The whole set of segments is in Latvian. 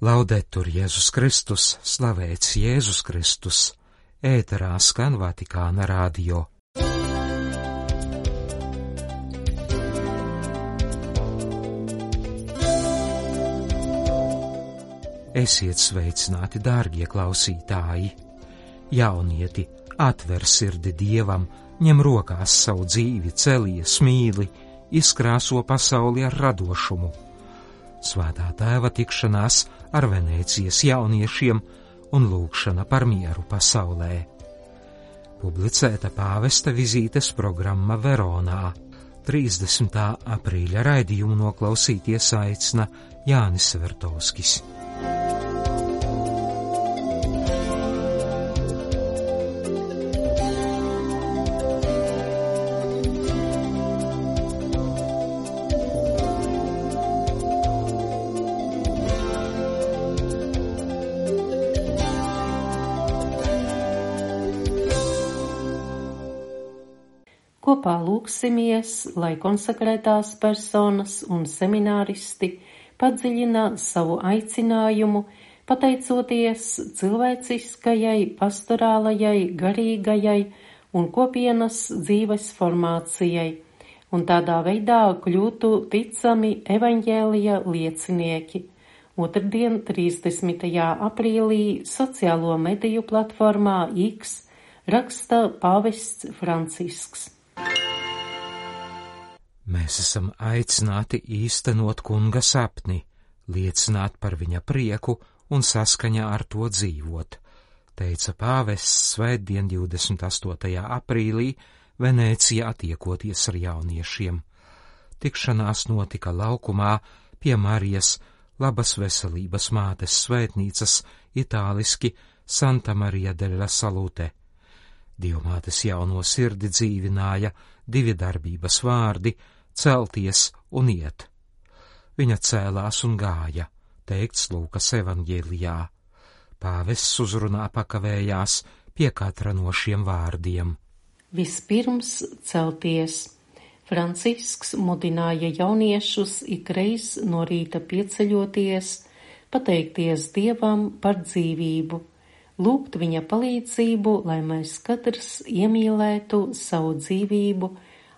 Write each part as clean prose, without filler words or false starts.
Laudetur Jēzus Kristus, slavēts Jēzus Kristus, ēterā skan Vatikāna radio. Esiet sveicināti, dārgie klausītāji! Jaunieti, atver sirdi Dievam, ņem rokās savu dzīvi, celies, mīli, izkrāso pasauli ar radošumu. Svētā Tēva tikšanās ar Venēcijas jauniešiem un lūgšana par mieru pasaulē. Publicēta pāvesta vizītes programma Veronā. 30. aprīļa raidījumu noklausīties aicina Jānis Vertovskis. Kopā lūgsimies, lai konsekrētās personas un semināristi padziļina savu aicinājumu, pateicoties cilvēciskajai, pastorālajai, garīgajai un kopienas dzīves formācijai, un tādā veidā kļūtu ticami evaņģēlija liecinieki. Otrdien, 30. aprīlī, sociālo mediju platformā X raksta pāvests Francisks. Mēs esam aicināti īstenot kunga sapni, liecināt par viņa prieku un saskaņā ar to dzīvot, teica pāvests svētdien 28. aprīlī Venēcijā tiekoties ar jauniešiem. Tikšanās notika laukumā pie Marijas labas veselības mātes svētnīcas, itāliski Santa Maria della Salute. Dievmātes jauno sirdi dzīvināja divi darbības vārdi – celties un iet. Viņa cēlās un gāja, teikts Lūkas evaņģēlijā. Pāvests uzrunā pakavējās pie katra no šiem vārdiem. Vispirms celties. Francisks mudināja jauniešus ikreiz no rīta pieceļoties, pateikties Dievam par dzīvību, lūgt viņa palīdzību, lai mēs katrs iemīlētu savu dzīvību,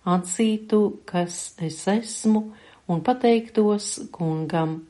atzītu, kas es esmu, un pateiktos kungam.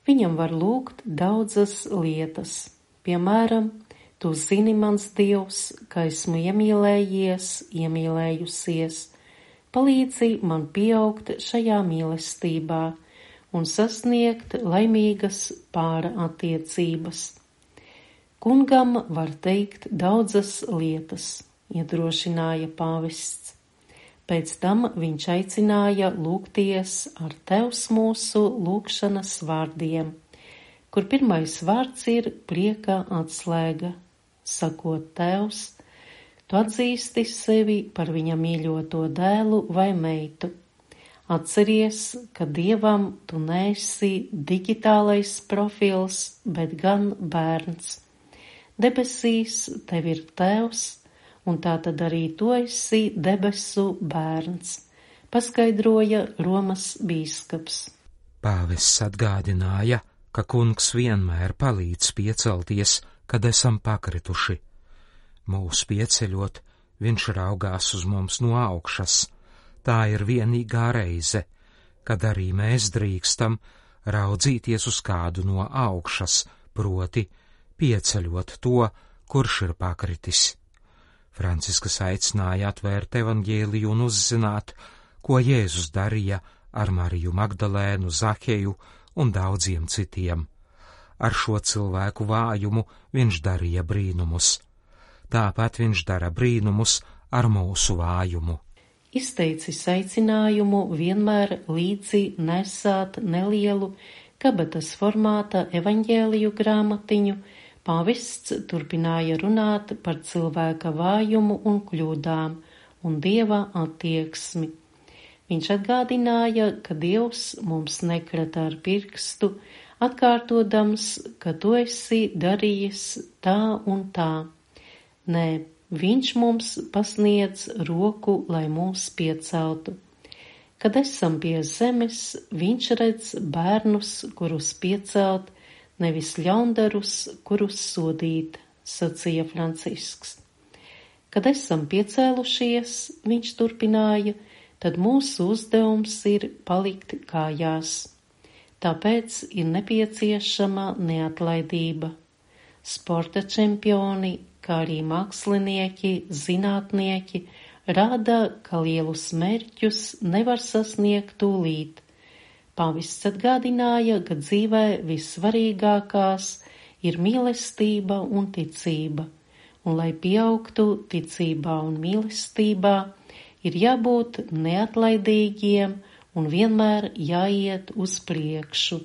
Viņam var lūgt daudzas lietas. Piemēram, tu zini, mans Dievs, ka esmu iemīlējies, iemīlējusies. Palīdzi man pieaugt šajā mīlestībā un sasniegt laimīgas pāra attiecības. Kungam var teikt daudzas lietas, iedrošināja pāvests. Pēc tam viņš aicināja lūgties ar Tevs mūsu lūgšanas vārdiem, kur pirmais vārds ir prieka atslēga, sakot Tevs, tu atzīsti sevi par viņa mīļoto dēlu vai meitu. Atceries, ka Dievam tu neesi digitālais profils, bet gan bērns. Debesīs tev ir Tevs, un tātad arī tu esi debesu bērns, paskaidroja Romas bīskaps. Pāvests atgādināja, ka kungs vienmēr palīdz piecelties, kad esam pakrituši. Mūs pieceļot, viņš raugās uz mums no augšas. Tā ir vienīgā reize, kad arī mēs drīkstam raudzīties uz kādu no augšas, proti pieceļot to, kurš ir pakritis. Francisks aicināja atvērt evaņģēliju un uzzināt, ko Jēzus darīja ar Mariju Magdalēnu, Zaheju un daudziem citiem. Ar šo cilvēku vājumu viņš darīja brīnumus. Tāpat viņš dara brīnumus ar mūsu vājumu. Izteicis aicinājumu vienmēr līdzi nesāt nelielu kabatas formāta evaņģēliju grāmatiņu, pāvests turpināja runāt par cilvēka vājumu un kļūdām un Dieva attieksmi. Viņš atgādināja, ka Dievs mums nekrata ar pirkstu, atkārtodams, ka tu esi darījis tā un tā. Nē, viņš mums pasniedz roku, lai mūs pieceltu. Kad esam pie zemes, viņš redz bērnus, kurus piecelt, nevis ļaundarus, kurus sodīt, sacīja Francisks. Kad esam piecēlušies, viņš turpināja, tad mūsu uzdevums ir palikt kājās. Tāpēc ir nepieciešama neatlaidība. Sporta čempioni, kā arī mākslinieki, zinātnieki, rāda, ka lielus mērķus nevar sasniegt tūlīt. Pāvests atgādināja, ka dzīvē vissvarīgākās ir mīlestība un ticība, un lai pieaugtu ticībā un mīlestībā, ir jābūt neatlaidīgiem un vienmēr jāiet uz priekšu.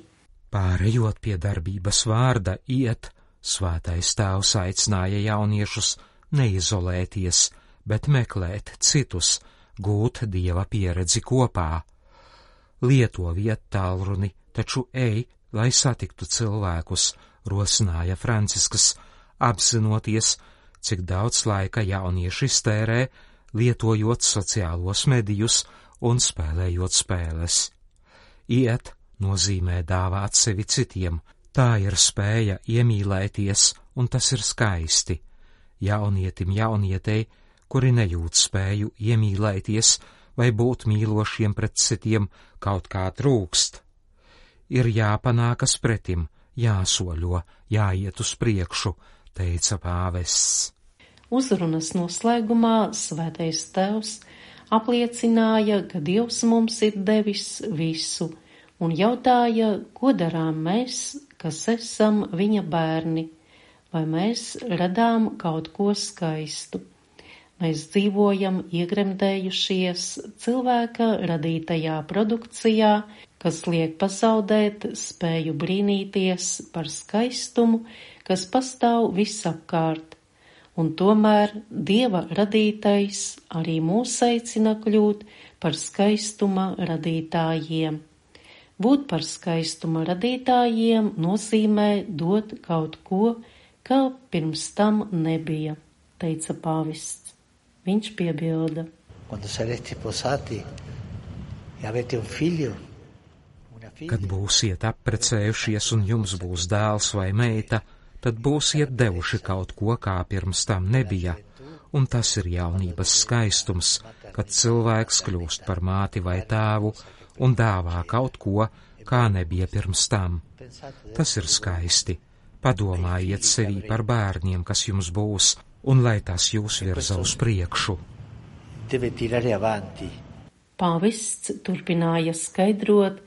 Pārējot pie darbības vārda iet, Svētais Tēvs aicināja jauniešus neizolēties, bet meklēt citus, gūt Dieva pieredzi kopā. Lietoviet tālruni, taču ej, lai satiktu cilvēkus, rosināja Francisks, apzinoties, cik daudz laika jaunieši iztērē, lietojot sociālos medijus un spēlējot spēles. Iet nozīmē dāvāt sevi citiem, tā ir spēja iemīlēties, un tas ir skaisti. Jaunietim, jaunietei, kuri nejūt spēju iemīlēties vai būt mīlošiem pret citiem, kaut kā trūkst. Ir jāpanākas pretim, jāsoļo, jāiet uz priekšu, teica pāvests. Uzrunas noslēgumā Svētais Tēvs apliecināja, ka Dievs mums ir devis visu, un jautāja, ko darām mēs, kas esam viņa bērni, vai mēs radām kaut ko skaistu. Mēs dzīvojam iegremdējušies cilvēka radītajā produkcijā, kas liek pazaudēt spēju brīnīties par skaistumu, kas pastāv visapkārt, un tomēr Dieva radītais arī mūs aicina kļūt par skaistuma radītājiem. Būt par skaistuma radītājiem nozīmē dot kaut ko, kā pirms tam nebija, teica pāvests. Viņš piebilda. Kad būsiet apprecējušies un jums būs dēls vai meita, tad būsiet devuši kaut ko, kā pirms tam nebija, un tas ir jaunības skaistums, kad cilvēks kļūst par māti vai tēvu un dāvā kaut ko, kā nebija pirms tam. Tas ir skaisti. Padomājiet sevī par bērniem, kas jums būs, un lai tas jūs virza uz priekšu. Pāvests turpināja skaidrot,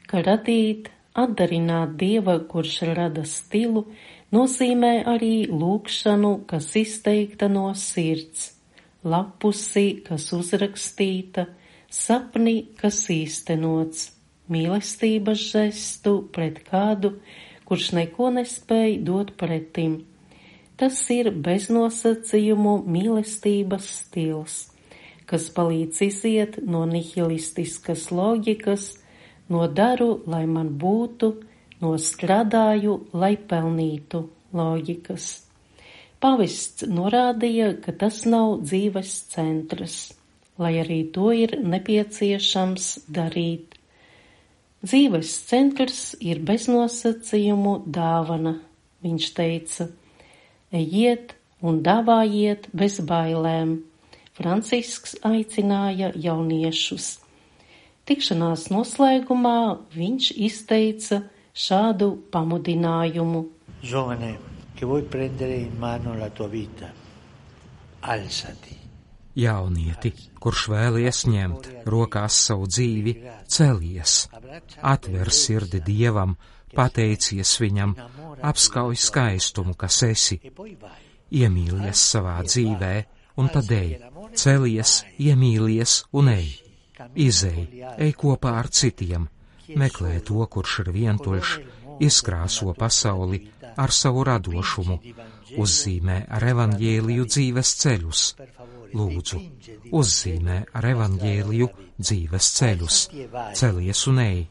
ka radīt, atdarināt Dieva, kurš rada stilu, nozīmē arī lūgšanu, kas izteikta no sirds, lapusi, kas uzrakstīta, sapni, kas īstenots, mīlestības žestu pret kādu, kurš neko nespēj dot pretim. Tas ir beznosacījumu mīlestības stils, kas palīdz iziet no nihilistiskas loģikas, no daru, lai man būtu, no strādāju, lai pelnītu loģikas. Pāvests norādīja, ka tas nav dzīves centrs, lai arī to ir nepieciešams darīt. Dzīves centrs ir beznosacījumu dāvana, viņš teica. Ejiet un dāvājiet bez bailēm. Francisks aicināja jauniešus. Tikšanās noslēgumā viņš izteica šādu pamudinājumu. Giovane, che vuoi prendere in mano la tua vita, alzati. Jaunieti, kurš vēlies ņemt rokās savu dzīvi, celies, atver sirdi Dievam, pateicies viņam, apskauj skaistumu, kas esi, iemīlies savā dzīvē, un tad ej, celies, iemīlies un ej, izej, ej kopā ar citiem, meklē to, kurš ir vientuļš, izkrāso pasauli ar savu radošumu, uzzīmē ar evaņģēliju dzīves ceļus. Lūdzu, uzzīmē ar evaņģēliju dzīves ceļus, celies un ej.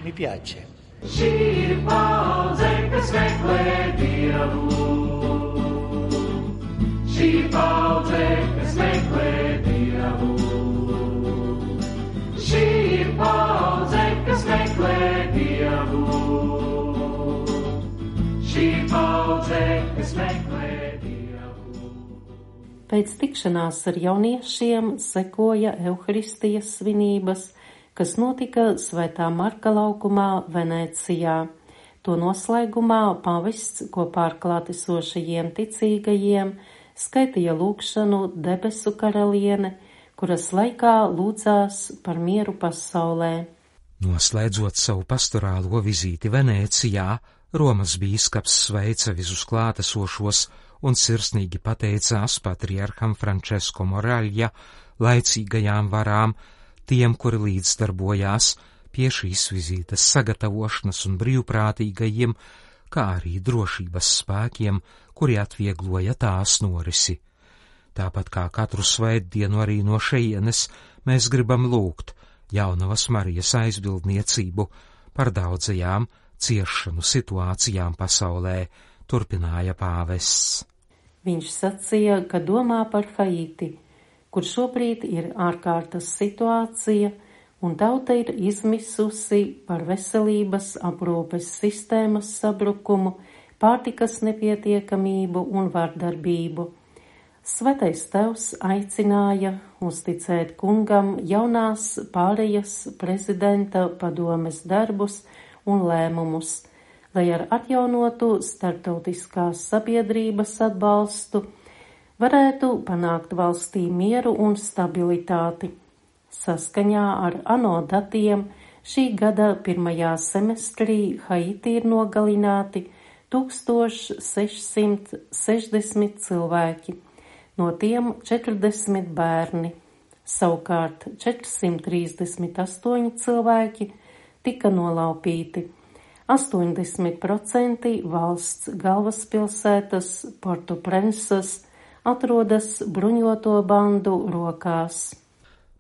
Mi piace. Šī ir paudze, kas meklē Dievu. Šī ir paudze, kas meklē Dievu. Šī ir paudze. Pēc tikšanās ar jauniešiem sekoja Euharistijas svinības, kas notika Svētā Marka laukumā Venēcijā. To noslēgumā pavests kopā ar klātesošajiem ticīgajiem skaitīja lūgšanu Debesu karaliene, kuras laikā lūdzās par mieru pasaulē. Noslēdzot savu pastorālo vizīti Venēcijā, Romas bīskaps sveica visus klātesošos un sirsnīgi pateicās patriarham Francesco Moraļa laicīgajām varām, tiem, kuri līdzdarbojās pie šīs vizītes sagatavošanas un brīvprātīgajiem, kā arī drošības spēkiem, kuri atviegloja tās norisi. Tāpat kā katru svētdienu arī no šejienes mēs gribam lūgt Jaunavas Marijas aizbildniecību par daudzajām ciešanu situācijām pasaulē, turpināja pāvests. Viņš sacīja, ka domā par Haiti, kur šobrīd ir ārkārtas situācija, un tauta ir izmisusi par veselības aprūpes sistēmas sabrukumu, pārtikas nepietiekamību un vardarbību. Svētais Tevs aicināja uzticēt kungam jaunās pārejas prezidenta padomes darbus un lēmumus, lai ar atjaunotu starptautiskās sabiedrības atbalstu varētu panākt valstī mieru un stabilitāti. Saskaņā ar ANO datiem šī gada pirmajā semestrī Haiti ir nogalināti 1660 cilvēki, no tiem 40 bērni. Savukārt 438 cilvēki tika nolaupīti. 80% valsts galvaspilsētas Porto-Prensas atrodas bruņoto bandu rokās.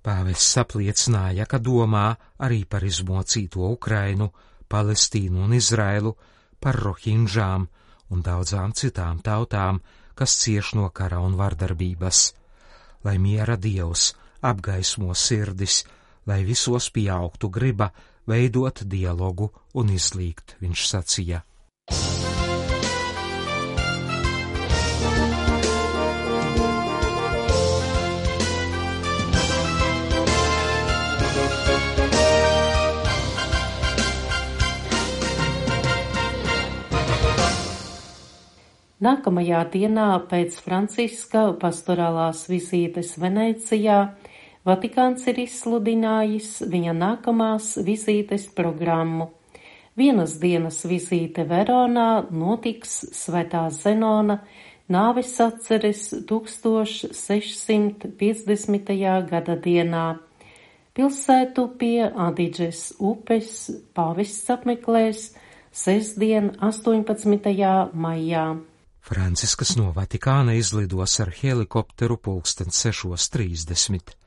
Pāvests apliecināja, ka domā arī par izmocīto Ukrainu, Palestīnu un Izrailu, par rohinžām un daudzām citām tautām, kas cieš no kara un vardarbības. Lai miera Dievs apgaismo sirdis, lai visos pieaugtu griba veidot dialogu un izlīgt, viņš sacīja. Nākamajā dienā pēc Franciska pastorālās vizītes Venēcijā Vatikāns ir izsludinājis viņa nākamās vizītes programmu. Vienas dienas vizīte Veronā notiks Svētā Zenona nāves atceres 1650. gada dienā. Pilsētu pie Adidžes upes pāvests apmeklēs sestdien 18. maijā. Franciskas no Vatikāna izlidos ar helikopteru 6:30.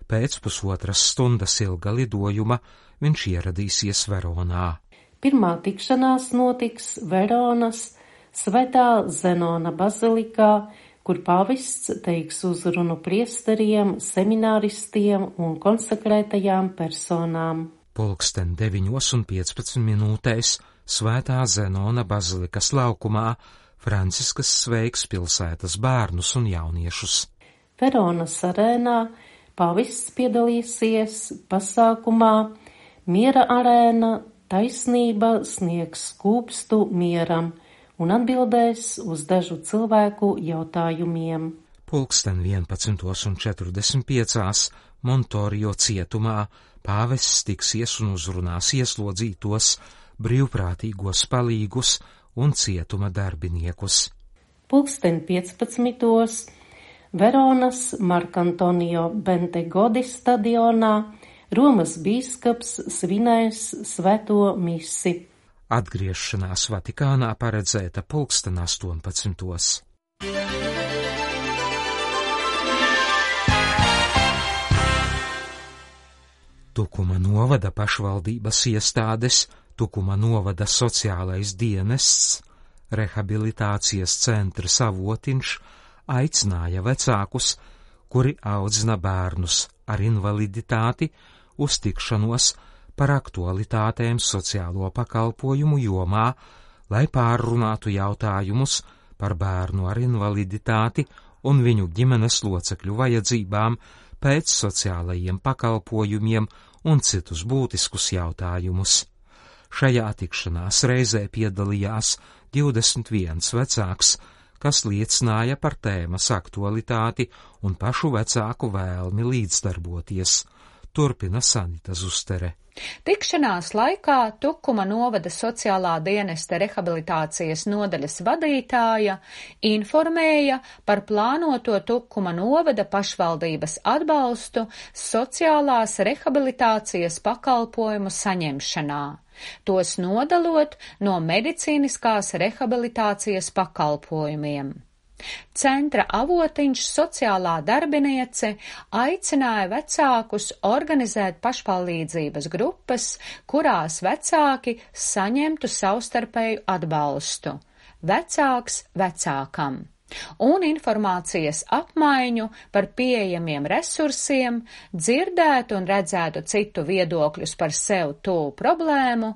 Pēc pusotras stundas ilga lidojuma viņš ieradīsies Veronā. Pirmā tikšanās notiks Veronas Svētā Zenona bazilikā, kur pāvests teiks uzrunu priesteriem, semināristiem un konsekrētajām personām. 9:15 Svētā Zenona bazilikas laukumā Franciskas sveiks pilsētas bērnus un jauniešus. Veronas arēnā pāvests piedalīsies pasākumā Miera arēna taisnība sniegs skūpstu mieram un atbildēs uz dažu cilvēku jautājumiem. 11:45 Montorio cietumā pāvests tiksies un uzrunās ieslodzītos, brīvprātīgos palīgus un cietuma darbiniekus. 15:00 Veronas Markantonio Bentegodi stadionā Romas bīskaps svinēs svēto misi. Atgriešanās Vatikānā paredzēta 18:00. Tukuma novada pašvaldības iestādes, Tukuma novada sociālais dienests, rehabilitācijas centrs Avotiņš aicināja vecākus, kuri audzina bērnus ar invaliditāti, uz tikšanos par aktualitātēm sociālo pakalpojumu jomā, lai pārrunātu jautājumus par bērnu ar invaliditāti un viņu ģimenes locekļu vajadzībām, pēc sociālajiem pakalpojumiem un citus būtiskus jautājumus. Šajā tikšanās reizē piedalījās 21 vecāks, kas liecināja par tēmas aktualitāti un pašu vecāku vēlmi līdzdarboties. Turpina Sanita Zustere. Tikšanās laikā Tukuma novada sociālā dienesta rehabilitācijas nodaļas vadītāja informēja par plānoto Tukuma novada pašvaldības atbalstu sociālās rehabilitācijas pakalpojumu saņemšanā, tos nodalot no medicīniskās rehabilitācijas pakalpojumiem. Centra avotiņš sociālā darbiniece aicināja vecākus organizēt pašpalīdzības grupas, kurās vecāki saņemtu savstarpēju atbalstu, vecāks vecākam, un informācijas apmaiņu par pieejamiem resursiem, dzirdētu un redzētu citu viedokļus par sev tuvu problēmu,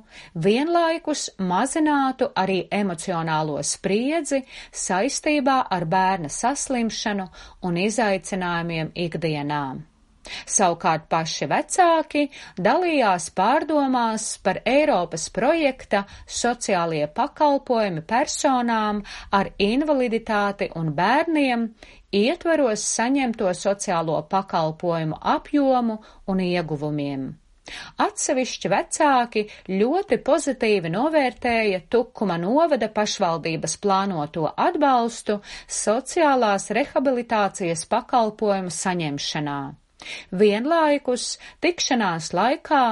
vienlaikus mazinātu arī emocionālo spriedzi saistībā ar bērna saslimšanu un izaicinājumiem ikdienā. Savukārt paši vecāki dalījās pārdomās par Eiropas projekta sociālie pakalpojumi personām ar invaliditāti un bērniem, ietveros saņemto sociālo pakalpojumu apjomu un ieguvumiem. Atsevišķi vecāki ļoti pozitīvi novērtēja Tukuma novada pašvaldības plānoto atbalstu sociālās rehabilitācijas pakalpojumu saņemšanā. Vienlaikus tikšanās laikā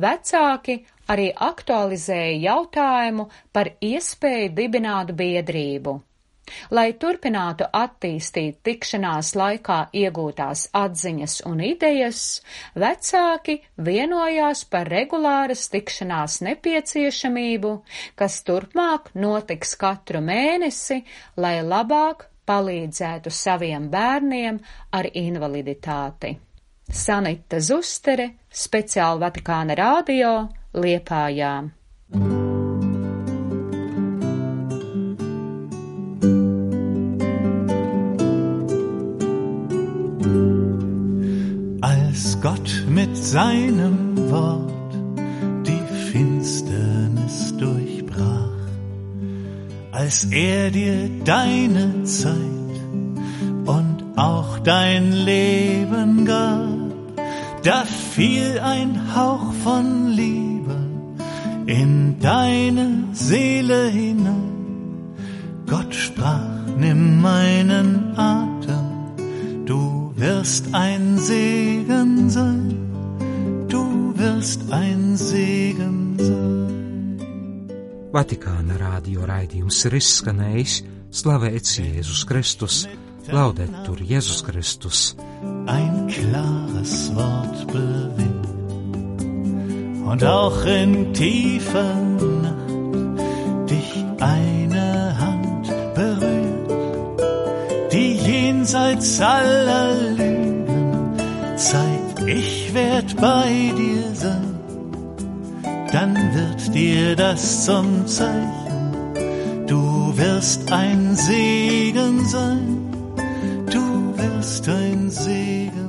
vecāki arī aktualizēja jautājumu par iespēju dibināt biedrību. Lai turpinātu attīstīt tikšanās laikā iegūtās atziņas un idejas, vecāki vienojās par regulāras tikšanās nepieciešamību, kas turpmāk notiks katru mēnesi, lai labāk palīdzētu saviem bērniem ar invaliditāti. Sanita Zustere, speciāli Vatikāna radio, Liepājā. Als Gott mit seinem Wort die Finsternis durchbrach, als dir deine Zeit und auch dein Leben gab, da fiel ein Hauch von Liebe in deine Seele hinein. Gott sprach, nimm meinen Atem, du wirst ein Segen sein, du wirst ein Segen sein. Vatikāna radio raidījums ir izskanējis, slavēts Jēzus Kristus, laudetur Jēzus Kristus. Ein klares Wort bewegt und auch in tiefer Nacht dich eine Hand berührt, die jenseits aller Lügen zeigt, ich werd bei dir sein, dann wird dir das zum Zeichen, du wirst ein Segen sein. Du wirst ein Segen